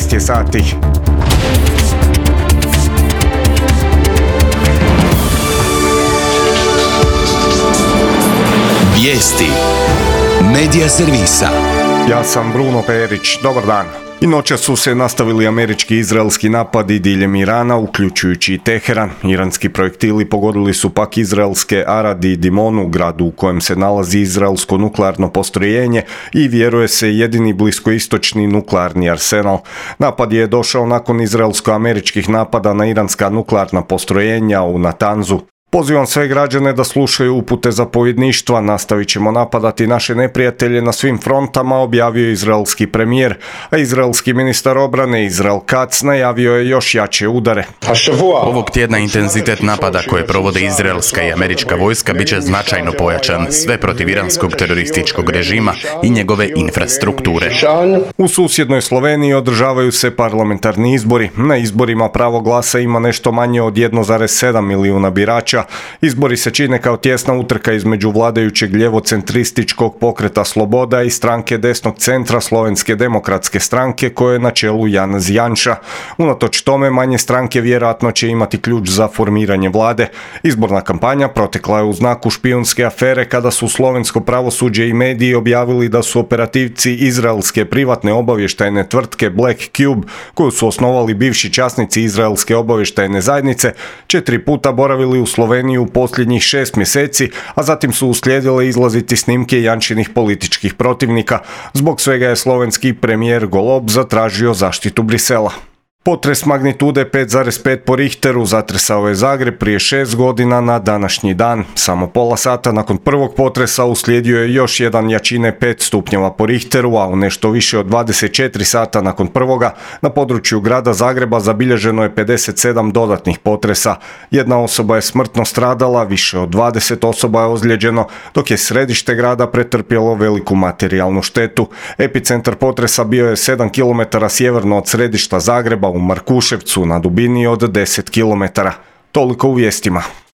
13 je sati. Vijesti Medija servisa. Ja sam Bruno Perić, dobar dan. I noćas su se nastavili američki i izraelski napadi diljem Irana, uključujući i Teheran. Iranski projektili pogodili su pak izraelske Arad i Dimonu, gradu u kojem se nalazi izraelsko nuklearno postrojenje i vjeruje se jedini bliskoistočni nuklearni arsenal. Napad je došao nakon izraelsko-američkih napada na iranska nuklearna postrojenja u Natanzu. Pozivam sve građane da slušaju upute zapovjedništva, nastavit ćemo napadati naše neprijatelje na svim frontama, objavio izraelski premijer, a izraelski ministar obrane Izrael Katz najavio je još jače udare. Ovog tjedna intenzitet napada koje provode izraelska i američka vojska bit će značajno pojačan, sve protiv iranskog terorističkog režima i njegove infrastrukture. U susjednoj Sloveniji održavaju se parlamentarni izbori. Na izborima pravo glasa ima nešto manje od 1,7 milijuna birača. Izbori se čine kao tjesna utrka između vladajućeg ljevocentrističkog pokreta Sloboda i stranke desnog centra Slovenske demokratske stranke koje je na čelu Janez Janša. Unatoč tome manje stranke vjerojatno će imati ključ za formiranje vlade. Izborna kampanja protekla je u znaku špijunske afere kada su slovensko pravosuđe i mediji objavili da su operativci izraelske privatne obavještajne tvrtke Black Cube, koju su osnovali bivši časnici izraelske obavještajne zajednice, 4 puta boravili u Sloveniji u posljednjih 6 mjeseci, a zatim su uslijedile izlaziti snimke Janšinih političkih protivnika. Zbog svega je slovenski premijer Golob zatražio zaštitu Brisela. Potres magnitude 5,5 po Richteru zatresao je Zagreb prije 6 godina na današnji dan. Samo pola sata nakon prvog potresa uslijedio je još jedan jačine 5 stupnjeva po Richteru, a u nešto više od 24 sata nakon prvoga na području grada Zagreba zabilježeno je 57 dodatnih potresa. Jedna osoba je smrtno stradala, više od 20 osoba je ozlijeđeno, dok je središte grada pretrpjelo veliku materijalnu štetu. Epicentar potresa bio je 7 km sjeverno od središta Zagreba u Markuševcu na dubini od 10 km. Toliko u vijestima.